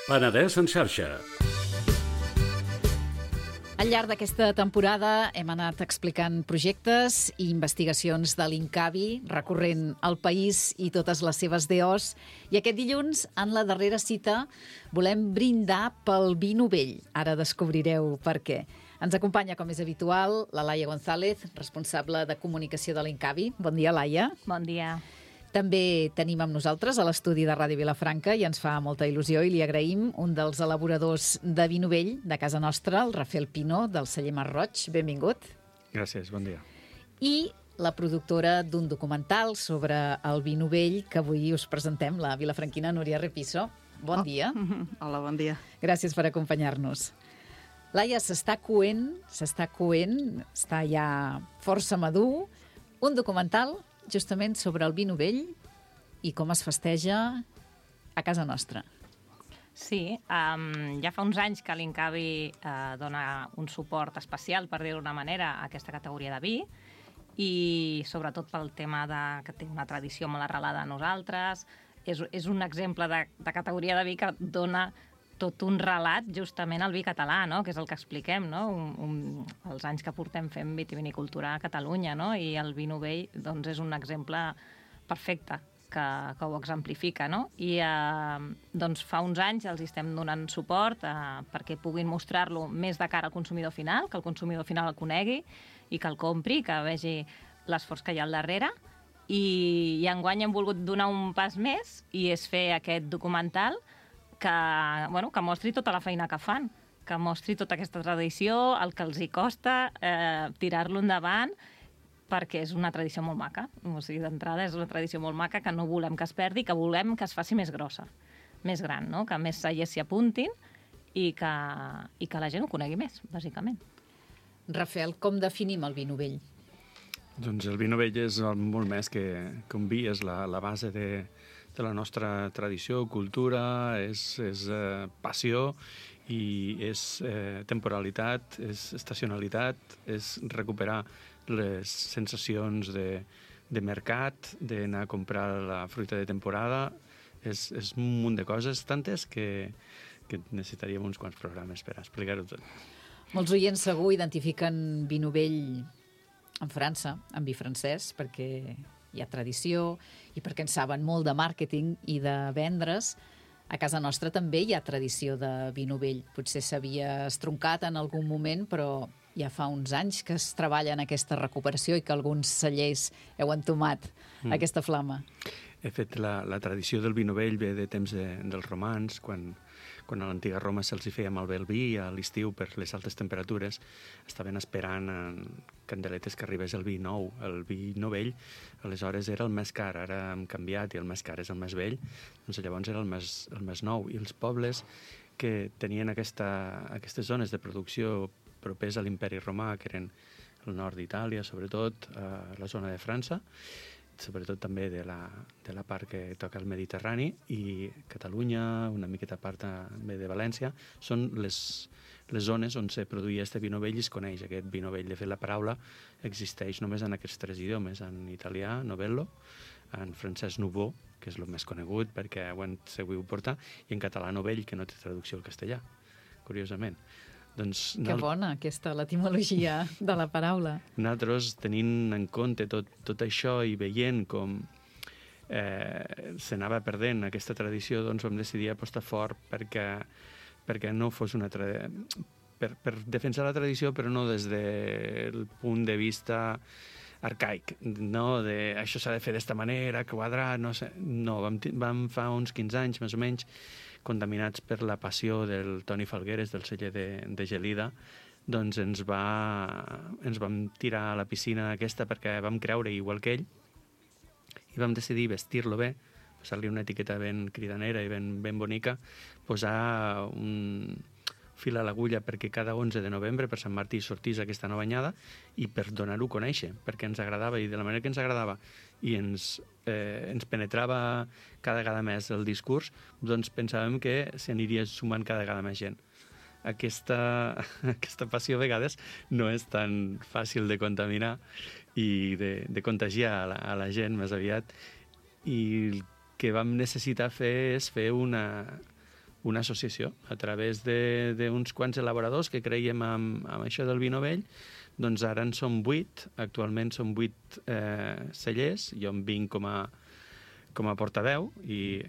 Penedès en xarxa. Al llarg d'aquesta temporada hem anat explicant projectes i investigacions de l'Incavi, recorrent el país i totes les seves DOs. I aquest dilluns, en la darrera cita, volem brindar pel vi novell. Ara descobrireu per què. Ens acompanya, com és habitual, la Laia González, responsable de comunicació de l'Incavi. Bon dia, Laia. Bon dia. També tenim amb nosaltres a l'estudi de Ràdio Vilafranca i ens fa molta il·lusió i li agraïm un dels elaboradors de vi novell de casa nostra, el Rafael Pino, del celler Mar Roig. Benvingut. Gràcies, bon dia. I la productora d'un documental sobre el vi novell que avui us presentem, la vilafranquina Núria Repiso. Bon dia. Hola, bon dia. Gràcies per acompanyar-nos. Laia, s'està coent, està ja força madur, un documental justament sobre el vi novell i com es festeja a casa nostra. Sí, ja fa uns anys que l'Incavi dona un suport especial, per dir-ho d'una manera, a aquesta categoria de vi i sobretot pel tema que té una tradició molt arrelada a nosaltres. És un exemple de categoria de vi que dona tot un relat justament al vi català, no? Que és el que expliquem, no? Els anys que portem fent vitivinicultura a Catalunya, no? I el vi novell doncs, és un exemple perfecte que ho exemplifica, no? I doncs, fa uns anys els estem donant suport perquè puguin mostrar-lo més de cara al consumidor final, que el consumidor final el conegui i que el compri, que vegi l'esforç que hi ha al darrere. I enguany hem volgut donar un pas més i és fer aquest documental que mostri tota la feina que fan, que mostri tota aquesta tradició, el que els hi costa tirar-lo endavant, perquè és una tradició molt maca. O sigui, d'entrada és una tradició molt maca que no volem que es perdi, que volem que es faci més grossa, més gran, no? Que més cellers s'hi apuntin i que la gent ho conegui més, bàsicament. Rafael, com definim el vi novell? Doncs el vi novell és molt més que un vi, és la base de la nostra tradició, cultura, és passió i és temporalitat, és estacionalitat, és recuperar les sensacions de mercat, d'anar a comprar la fruita de temporada. És un munt de coses, tantes que necessitaríem uns quants programes per explicar-ho tot. Molts oients segur identifiquen vi novell en França, en vi francès, perquè hi ha tradició i perquè en saben molt de màrqueting i de vendre's. A casa nostra també hi ha tradició de vi novell. Potser s'havia estroncat en algun moment, però ja fa uns anys que es treballa en aquesta recuperació i que alguns cellers heu entomat aquesta flama. De fet, la tradició del vi novell ve de temps dels romans, quan a l'antiga Roma se'ls feia malbé el vi a l'estiu per les altes temperatures, estaven esperant en candeletes que arribés el vi nou. El vi novell, aleshores, era el més car, ara hem canviat i el més car és el més vell, doncs llavors era el més nou. I els pobles que tenien aquestes zones de producció propers a l'imperi romà, que eren el nord d'Itàlia, sobretot la zona de França, sobretot també de la part que toca el Mediterrani, i Catalunya, una miqueta part també de València, són les zones on se produïa este vi novell i es coneix aquest vi novell. De fet, la paraula existeix només en aquests tres idiomes, en italià, novello, en francès nouveau, que és el més conegut perquè ho han sabut portar, i en català novell, que no té traducció al castellà, curiosament. Doncs, que bona, l'etimologia de la paraula. Nosaltres, tenint en compte tot això i veient com s'anava perdent aquesta tradició, doncs vam decidir apostar fort perquè no fos una per defensar la tradició, però no des del punt de vista arcaic, no de això s'ha de fer d'esta manera, quadrat, no sé. No, vam fa uns 15 anys, més o menys, contaminats per la passió del Toni Falgueres, del celler de Gelida, doncs ens vam tirar a la piscina aquesta perquè vam creure igual que ell i vam decidir vestir-lo bé, posar-li una etiqueta ben cridanera i ben bonica, posar un fil a l'agulla perquè cada 11 de novembre per Sant Martí sortís aquesta nova anyada i per donar-ho a conèixer, perquè ens agradava i de la manera que ens agradava i ens penetrava cada vegada més el discurs, doncs pensàvem que s'aniria sumant cada vegada més gent. Aquesta passió a vegades no és tan fàcil de contaminar i de contagiar a la gent més aviat, i el que vam necessitar fer és fer una una associació a través d'uns quants elaboradors que creiem amb això del vi novell. Doncs ara en som 8, actualment som 8 cellers, jo em vinc com a portaveu i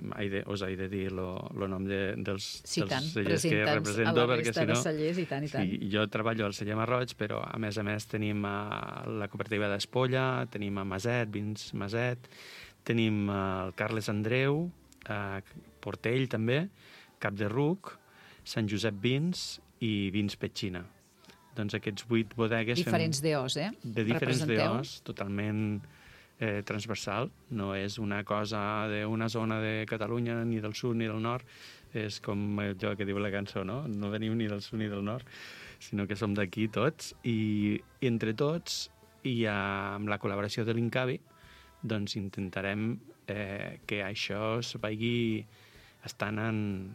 us he de dir el nom dels cellers que represento, perquè si no... Cellers, i tant. Sí, jo treballo al celler Marroig, però a més tenim la cooperativa d'Espolla, tenim a Maset, Vins Maset, tenim el Carles Andreu, Portell també, Cap de Ruc, Sant Josep Vins i Vins Petxina. Doncs aquests 8 bodegues... Diferents DOs, De diferents DOs, totalment transversal. No és una cosa d'una zona de Catalunya, ni del sud ni del nord. És com allò que diu la cançó, no? No venim ni del sud ni del nord, sinó que som d'aquí tots. I entre tots, i amb la col·laboració de l'Incavi, doncs intentarem que això es vagi estant en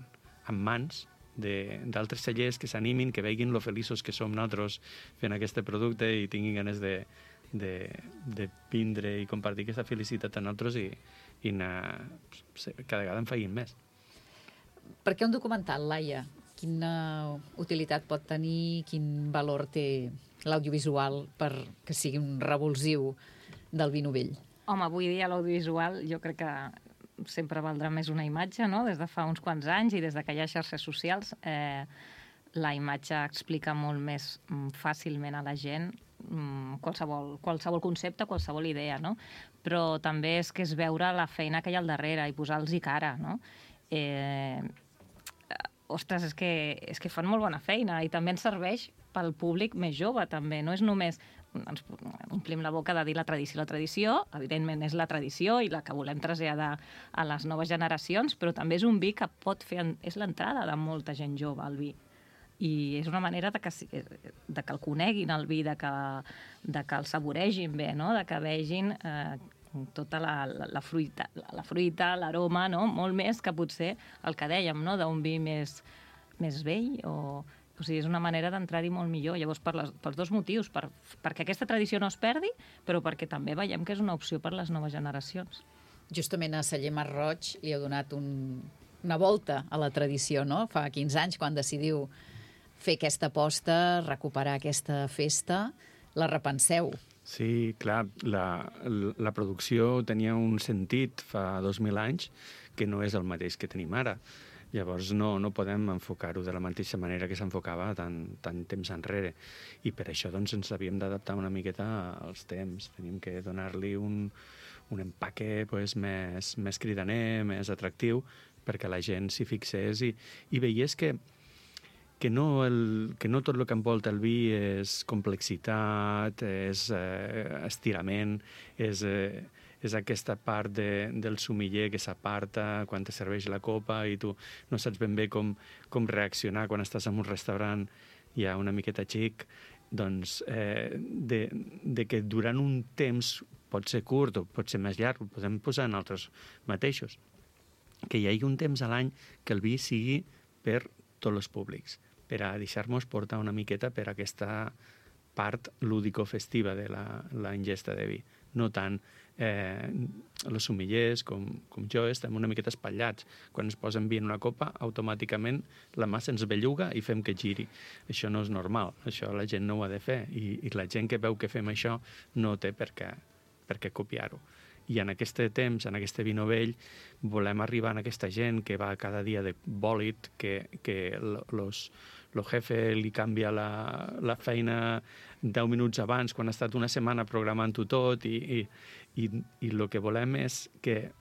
mans d'altres cellers que s'animin, que veguin lo feliços que som nosaltres fent aquest producte i tinguin ganes de vindre i compartir aquesta felicitat amb nosaltres i anar, cada vegada en feien més. Per què un documental, Laia? Quina utilitat pot tenir, quin valor té l'audiovisual per que sigui un revulsiu del vi novell? Home, avui dia l'audiovisual jo crec que sempre valdrà més una imatge, no? Des de fa uns quants anys i des de que hi ha xarxes socials, la imatge explica molt més fàcilment a la gent qualsevol concepte, qualsevol idea, no? Però també és que és veure la feina que hi ha al darrere i posar-los-hi cara, no? Ostres, és que fan molt bona feina i també ens serveix pel públic més jove, també. No és només ens omplim la boca de dir la tradició. La tradició, evidentment, és la tradició i la que volem traslladar a les noves generacions, però també és un vi que pot fer... És l'entrada de molta gent jove al vi. I és una manera de que el coneguin, el vi, de que el saboregin bé, no? De que vegin tota la fruita, l'aroma, no? Molt més que potser el que dèiem, no? D'un vi més vell o sigui, és una manera d'entrar-hi molt millor. Llavors, pels dos motius, perquè aquesta tradició no es perdi, però perquè també veiem que és una opció per a les noves generacions. Justament a Celler Marroig li heu donat una volta a la tradició, no? Fa 15 anys, quan decidiu fer aquesta aposta, recuperar aquesta festa, la repenseu. Sí, clar, la producció tenia un sentit fa 2.000 anys que no és el mateix que tenim ara. Llavors no podem enfocar-ho de la mateixa manera que s'enfocava tant temps enrere. I per això doncs, ens havíem d'adaptar una miqueta als temps. Tenim que donar-li un empaque pues, més cridaner, més atractiu, perquè la gent s'hi fixés i veiés que no tot el que envolta el vi és complexitat, és estirament, és aquesta part del sumiller que s'aparta quan te serveix la copa i tu no saps ben bé com reaccionar quan estàs en un restaurant ja una miqueta xic, doncs de que durant un temps pot ser curt o pot ser més llarg, ho podem posar en altres mateixos, que hi hagi un temps a l'any que el vi sigui per tots els públics, per a deixar-nos portar una miqueta per aquesta part lúdico-festiva de la ingesta de vi. No tant els sumillers com jo estem una miqueta espatllats. Quan ens posen vi en una copa, automàticament la mà se'ns belluga i fem que giri. Això no és normal, això la gent no ho ha de fer i la gent que veu que fem això no té per què copiar-ho. I en aquest temps, en aquest vi novell, volem arribar a aquesta gent que va cada dia de bòlit, que el jefe li canvia la feina 10 minuts abans, quan ha estat una setmana programant-ho tot, i el que volem és que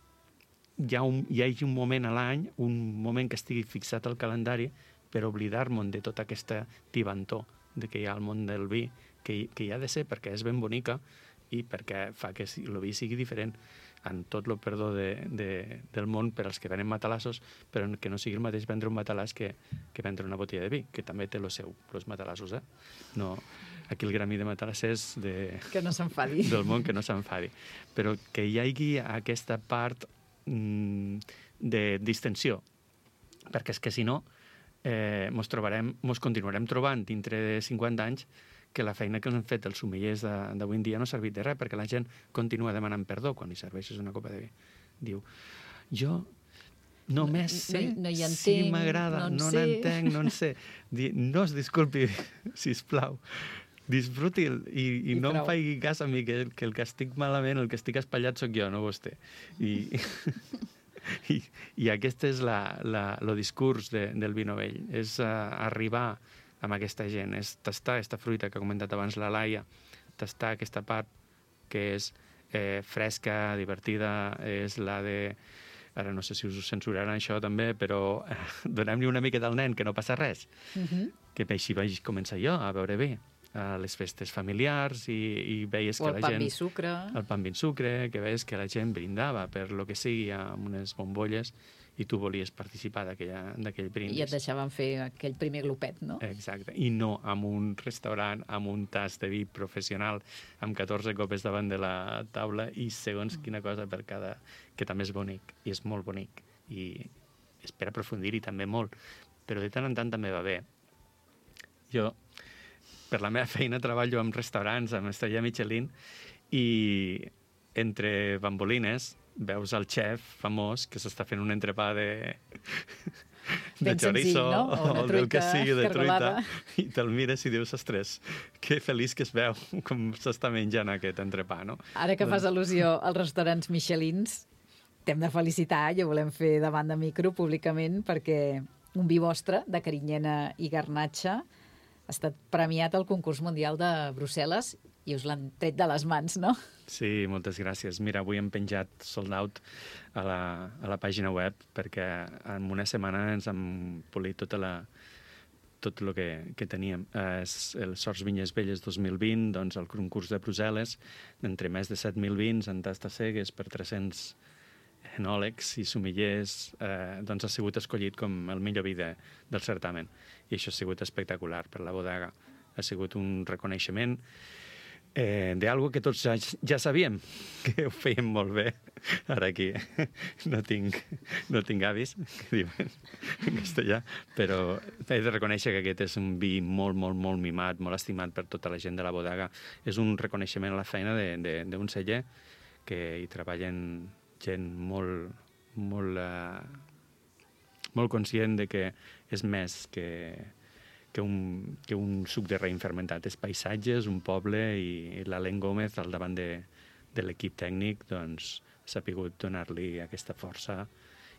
hi hagi un moment a l'any, un moment que estigui fixat al calendari, per oblidar-nos de tota aquesta tibantor que hi ha al món del vi, que hi ha de ser perquè és ben bonica, i perquè fa que el vi sigui diferent en tot el perdó del món per als que venen matalassos, però que no sigui el mateix vendre un matalàs que vendre una botella de vi, que també té els matalassos. No, aquí el gremi de matalassers que no s'enfadi. Del món que no s'enfadi. Però que hi hagi aquesta part de distensió, perquè és que si no mos continuarem trobant dintre de 50 anys que la feina que han fet els sommeliers d'avui en dia no ha servit de res, perquè la gent continua demanant perdó quan li serveixes una copa de vi. Diu, jo Només sé no hi entenc, si m'agrada, no sé. n'entenc, no en sé. No es disculpi, sisplau. Disfruti'l i no em prou. faci cas a mi, que el que estic malament, el que estic espatllat sóc jo, no vostè. I aquest és el discurs del vi novell, és arribar amb aquesta gent, és tastar aquesta fruita que ha comentat abans la Laia, tastar aquesta part que és fresca, divertida, és la de... Ara no sé si us censuraran això també, però donem-li una miqueta al nen, que no passa res. Que així vaig començar jo a veure bé a les festes familiars i veies que la gent... O el pa amb vi sucre. El pa amb vi sucre, que veies que la gent brindava per lo que sigui amb unes bombolles i tu volies participar d'aquell brindis. I et deixaven fer aquell primer glopet, no? Exacte. I no amb un restaurant, amb un tas de vi professional, amb 14 copes davant de la taula i segons quina cosa per cada... que també és bonic, i és molt bonic. I és per aprofundir-hi també molt. Però de tant en tant també va bé. Jo, per la meva feina, treballo en restaurants, amb estrella Michelin, i entre bambolines veus el xef famós que s'està fent un entrepà de chorizo, no? O del que sigui, de cargolada. truita, i te'l mires i dius, ostres, que feliç que es veu com s'està menjant aquest entrepà, no? Ara que fas al·lusió als restaurants Michelins, t'hem de felicitar i ho volem fer davant de micro públicament perquè un vi vostre, de carinyena i garnatxa, ha estat premiat al concurs mundial de Brussel·les i us l'han tret de les mans, no? Sí, moltes gràcies. Mira, avui hem penjat sold out a la pàgina web perquè en una setmana ens hem polit tot el que teníem. El Sorts Vinyes Velles 2020, doncs el concurs de Brussel·les, entre més de 7.000 vins en tastes cegues per 300 enòlegs i sommeliers, doncs ha sigut escollit com el millor vi del certamen. I això ha sigut espectacular per la bodega. Ha sigut un reconeixement d'algo que tots ja sabíem, que ho fèiem molt bé. Ara aquí no tinc avis, que diuen en castellà, però he de reconèixer que aquest és un vi molt, molt, molt mimat, molt estimat per tota la gent de la bodega. És un reconeixement a la feina d'un celler que hi treballen gent molt, molt, molt conscient de que és més que un suc de raïm fermentat. És paisatges, un poble, i l'Alen Gómez, al davant de l'equip tècnic, doncs, ha sapigut donar-li aquesta força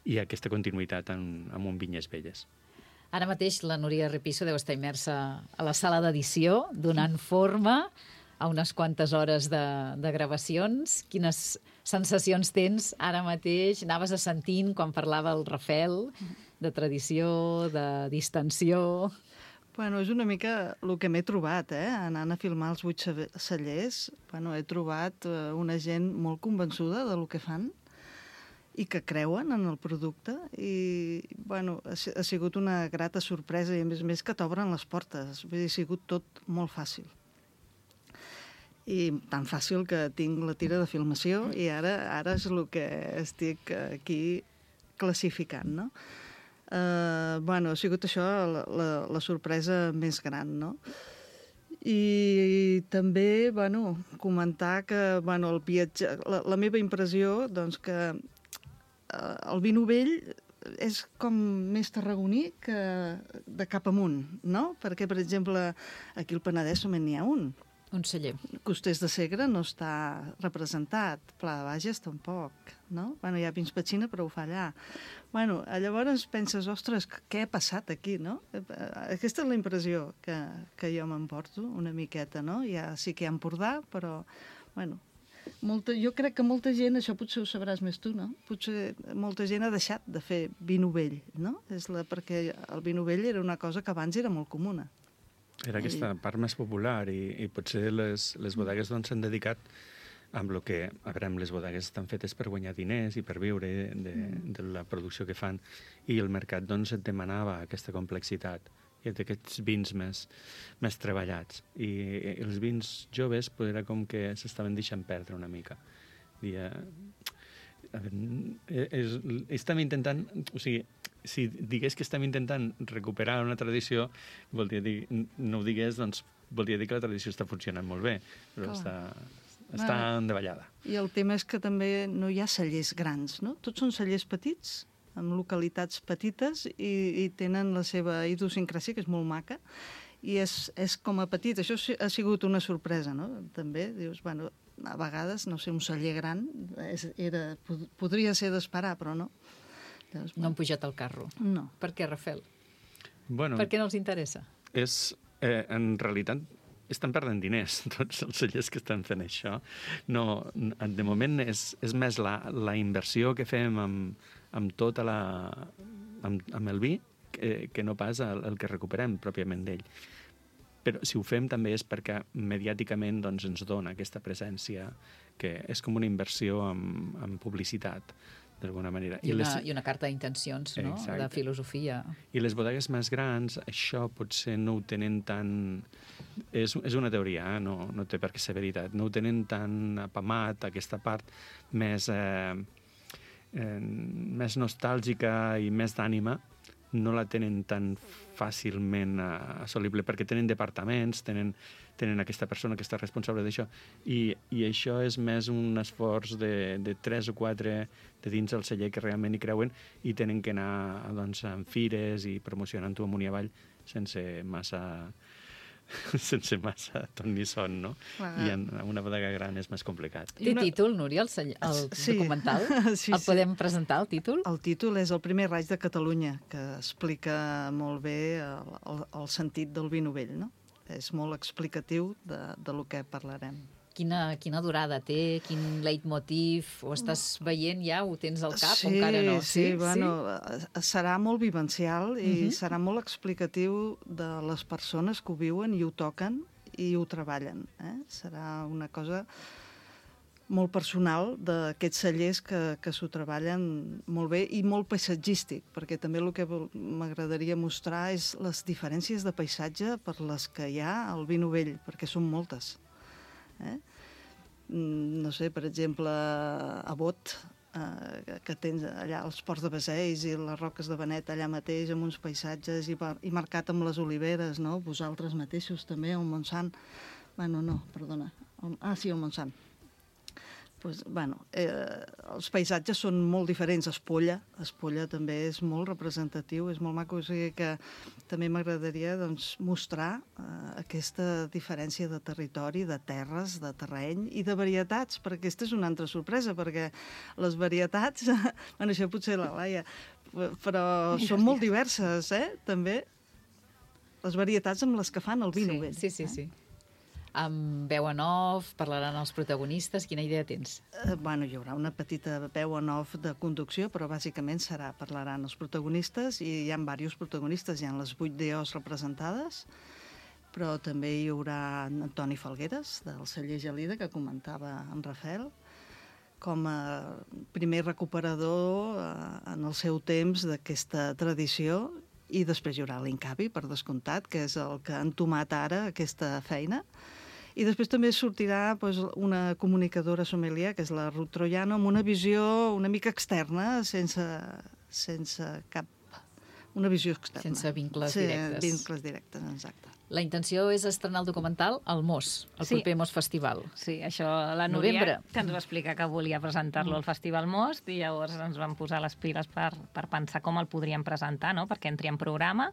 i aquesta continuïtat amb un Vinyes Velles. Ara mateix la Núria Repiso deu estar immersa a la sala d'edició, donant forma a unes quantes hores de gravacions. Quines sensacions tens ara mateix? Anaves assentint quan parlava el Rafel de tradició, de distensió... Bueno, és una mica el que m'he trobat, anant a filmar els 8 cellers. Bueno, he trobat una gent molt convençuda del que fan i que creuen en el producte. I, bueno, ha sigut una grata sorpresa i, a més que t'obren les portes. Vull dir, ha sigut tot molt fàcil. I tan fàcil que tinc la tira de filmació i ara és el que estic aquí classificant, no? Bueno, ha sigut això la sorpresa més gran, no? I també, bueno, comentar que, bueno, el viatge... La meva impressió, doncs, que el vi novell és com més tarragoní que de cap amunt, no? Perquè, per exemple, aquí al Penedès només n'hi ha un. Un celler. Costers de Segre no està representat, Pla de Bages tampoc, no? Bueno, hi ha Vins Petxina, però ho fa allà. Bueno, llavors penses, ostres, què ha passat aquí, no? Aquesta és la impressió que jo m'emporto una miqueta, no? Ja sí que hi ha Empordà, però, bueno, jo crec que molta gent, això potser ho sabràs més tu, no? Potser molta gent ha deixat de fer vi novell, no? Perquè el vi novell era una cosa que abans era molt comuna. Era aquesta part més popular i potser les bodegues s'han dedicat amb el que... A veure, les bodegues estan fetes per guanyar diners i per viure de la producció que fan i el mercat et demanava aquesta complexitat i d'aquests vins més treballats. I els vins joves era com que s'estaven deixant perdre una mica. Estem intentant... O sigui, si digués que estem intentant recuperar una tradició, no ho digués, doncs voldria dir que la tradició està funcionant molt bé, però està endavallada. I el tema és que també no hi ha cellers grans, no? Tots són cellers petits en localitats petites i tenen la seva idiosincràsia, que és molt maca, i és com a petit. Això ha sigut una sorpresa, no? També, dius, bueno, a vegades, no sé, un celler gran podria ser d'esperar, però no. Llavors, No han pujat al carro. No. Per què, Rafel? Bueno, Per què no els interessa? en realitat estan perdent diners, tots els cellers que estan fent això. No, de moment és més la inversió que fem amb tota amb el vi que no pas el que recuperem pròpiament d'ell. Però si ho fem també és perquè mediàticament doncs, ens dona aquesta presència que és com una inversió en publicitat, d'alguna manera. I una carta d'intencions, no? De filosofia. I les bodegues més grans, això potser no ho tenen tan... És una teoria, no té per què ser veritat. No ho tenen tan apamat, aquesta part més nostàlgica i més d'ànima, no la tenen tan fàcilment assolible, perquè tenen departaments, tenen aquesta persona que està responsable d'això, i això és més un esforç de 3 o 4 de dins del celler que realment hi creuen i tenen que anar doncs, en fires i promocionant-ho amunt i avall sense massa ton ni son, no? I en una bodega gran és més complicat. Té títol, Núria, el documental? Sí. El podem presentar, el títol? El títol és El primer raig de Catalunya, que explica molt bé el sentit del vi novell, no? És molt explicatiu de lo que parlarem. Quina durada té? Quin leitmotiv? Ho estàs veient ja? Ho tens al cap o encara no? Sí, bueno, serà molt vivencial i serà molt explicatiu de les persones que ho viuen i ho toquen i ho treballen. Serà una cosa molt personal d'aquests cellers que s'ho treballen molt bé i molt paisatgístic, perquè també el que m'agradaria mostrar és les diferències de paisatge per les que hi ha al vi novell, perquè són moltes. No sé, per exemple, a Bot, que tens allà els ports de Basells i les roques de Benet allà mateix, amb uns paisatges i marcat amb les oliveres, no? Vosaltres mateixos també, el Montsant. Bueno, no, perdona. Sí, el Montsant. Pues, bueno, els paisatges són molt diferents. Espolla també és molt representatiu, és molt maco, o sigui que també m'agradaria doncs, mostrar aquesta diferència de territori, de terres, de terreny i de varietats, perquè aquesta és una altra sorpresa, perquè les varietats, bueno, això potser la Laia, però són molt diverses, també, les varietats amb les que fan el vi novell. Sí. Amb veu en off, parlaran els protagonistes. Quina idea tens? Bueno, hi haurà una petita veu en off de conducció, però bàsicament parlaran els protagonistes, i hi ha diversos protagonistes, hi ha les 8 DOs representades, però també hi haurà Antoni Falgueres, del celler Gelida, que comentava en Rafel, com a primer recuperador en el seu temps d'aquesta tradició, i després hi haurà l'Incavi, per descomptat, que és el que ha entomat ara aquesta feina. I després també sortirà una comunicadora sommelier, que és la Ruth Troiano, amb una visió una mica externa, sense cap... Una visió externa. Sense vincles directes. Sí, vincles directes, exacte. La intenció és estrenar el documental al MOS, el proper MOS Festival. Sí, això la Núria que ens va explicar que volia presentar-lo al Festival MOS, i llavors ens vam posar les piles per pensar com el podríem presentar, no? Perquè entri en programa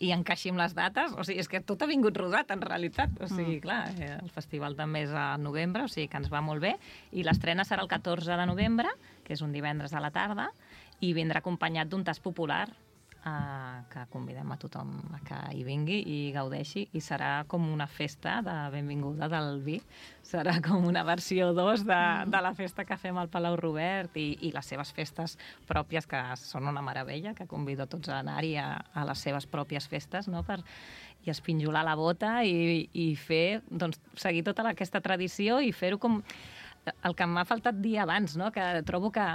i encaixi amb les dates. O sigui, és que tot ha vingut rodat, en realitat. O sigui, clar, el festival també és a novembre, o sigui que ens va molt bé. I l'estrena serà el 14 de novembre, que és un divendres a la tarda, i vindrà acompanyat d'un tast popular, que convidem a tothom a que hi vingui i gaudeixi, i serà com una festa de benvinguda del vi. Serà com una versió 2 de la festa que fem al Palau Robert i les seves festes pròpies, que són una meravella, que convido a tots a anar-hi a les seves pròpies festes, no? I espinjolar la bota i fer, doncs, seguir tota aquesta tradició i fer-ho com... El que m'ha faltat dir abans, no? Que trobo que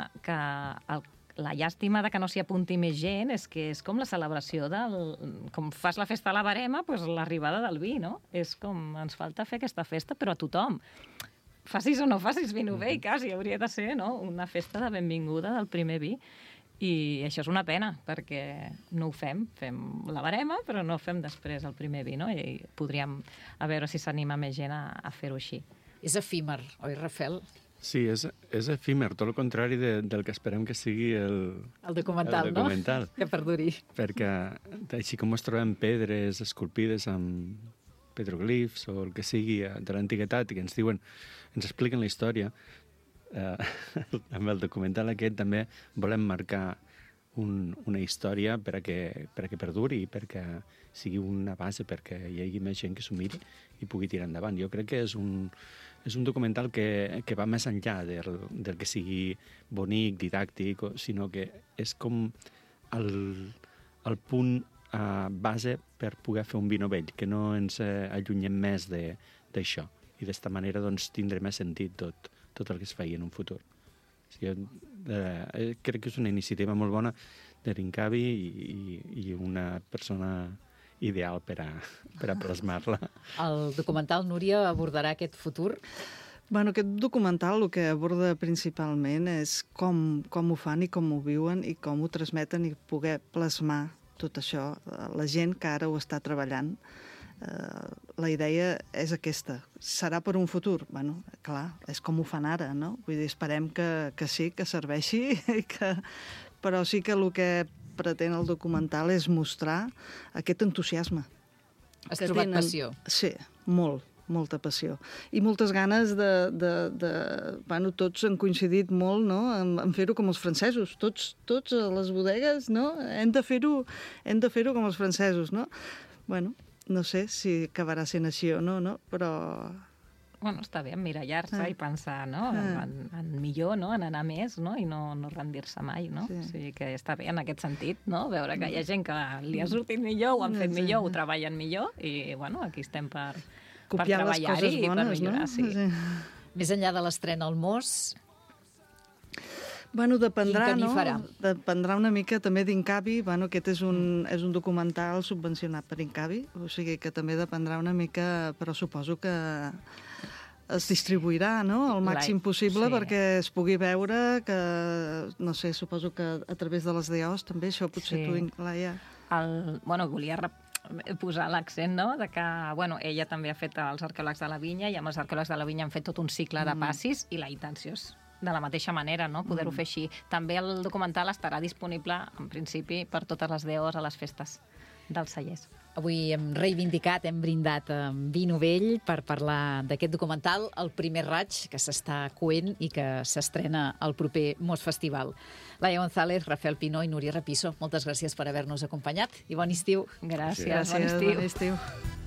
la llàstima de que no s'hi apunti més gent és que és com la celebració com fas la festa a la Barema, doncs l'arribada del vi, no? És com, ens falta fer aquesta festa, però a tothom. Facis o no facis vi novell, quasi, hauria de ser, no? Una festa de benvinguda del primer vi. I això és una pena, perquè no ho fem. Fem la Barema, però no fem després el primer vi, no? I podríem a veure si s'anima més gent a fer-ho així. És efímer, oi, Rafel? Sí, és efímer, tot el contrari del que esperem que sigui el documental, no? Que perduri. Perquè així com es trobem pedres esculpides amb petroglifs o el que sigui de l'antiguitat i que ens diuen, ens expliquen la història, amb el documental aquest també volem marcar una història per a que perduri i perquè sigui una base perquè hi hagi més gent que s'ho miri i pugui tirar endavant. Jo crec que és un documental que va més enllà del que sigui bonic, didàctic, sinó que és com el punt base per poder fer un vi novell, que no ens allunyem més d'això. I d'esta manera doncs, tindrà més sentit tot el que es faci en un futur. O sigui, crec que és una iniciativa molt bona de l'Incavi i una persona ideal per a plasmar-la. El documental, Núria, abordarà aquest futur? Bueno, aquest documental el que aborda principalment és com ho fan i com ho viuen i com ho transmeten i poder plasmar tot això. La gent que ara ho està treballant, la idea és aquesta. Serà per un futur? Bueno, clar, és com ho fan ara, no? Vull dir, esperem que sí, que serveixi, però sí que el que pretén el documental és mostrar aquest entusiasme. Has trobat passió? Sí, molta passió. I moltes ganes bueno, tots han coincidit molt, no?, en fer-ho com els francesos. Tots a les bodegues, no?, hem de fer-ho com els francesos, no? Bueno, no sé si acabarà sent així o no, però... Bueno, està bé emmirallar-se i pensar, no?, en millor, no?, en anar més, no?, i no rendir-se mai, no? Sí. O sigui que està bé en aquest sentit, no?, veure que hi ha gent que li ha sortit millor, ho han fet millor, ho treballen millor, i, bueno, aquí estem per treballar-hi i per millorar, no? Sí. Més enllà de l'estrena al Mos... Bueno, dependrà, no? Dependrà una mica també d'Incavi. Bueno, aquest és un documental subvencionat per Incavi, o sigui que també dependrà una mica, però suposo que es distribuirà, no?, al màxim possible perquè es pugui veure, que, no sé, suposo que a través de les DOs també, això potser tu, Laia... Bueno, volia posar l'accent, no?, de que, bueno, ella també ha fet els arqueòlegs de la vinya i amb els arqueòlegs de la vinya han fet tot un cicle de passis i la intenció és de la mateixa manera, no?, poder-ho fer així. També el documental estarà disponible, en principi, per totes les DOs a les festes dels cellers. Avui hem reivindicat, hem brindat amb vi novell per parlar d'aquest documental, El primer raig, que s'està coent i que s'estrena al proper Mos Festival. Laia González, Rafael Pinó i Núria Rapisso, moltes gràcies per haver-nos acompanyat i bon estiu. Gràcies, bon estiu. Bon estiu.